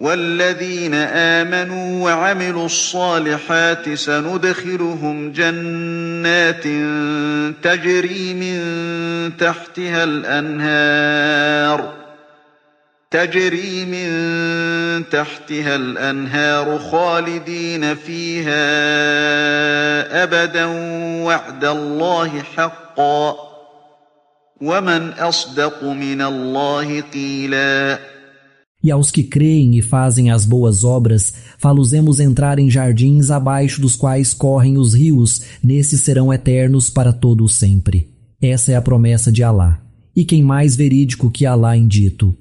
والذين آمنوا وعملوا الصالحات سندخلهم جنات تجري من تحتها الأنهار خالدين فيها أبدا وعد الله حقا ومن أصدق من الله قيلا. E aos que creem e fazem as boas obras, fá-los-emos entrar em jardins abaixo dos quais correm os rios, nesses serão eternos para todo o sempre. Essa é a promessa de Alá. E quem mais verídico que Alá em dito?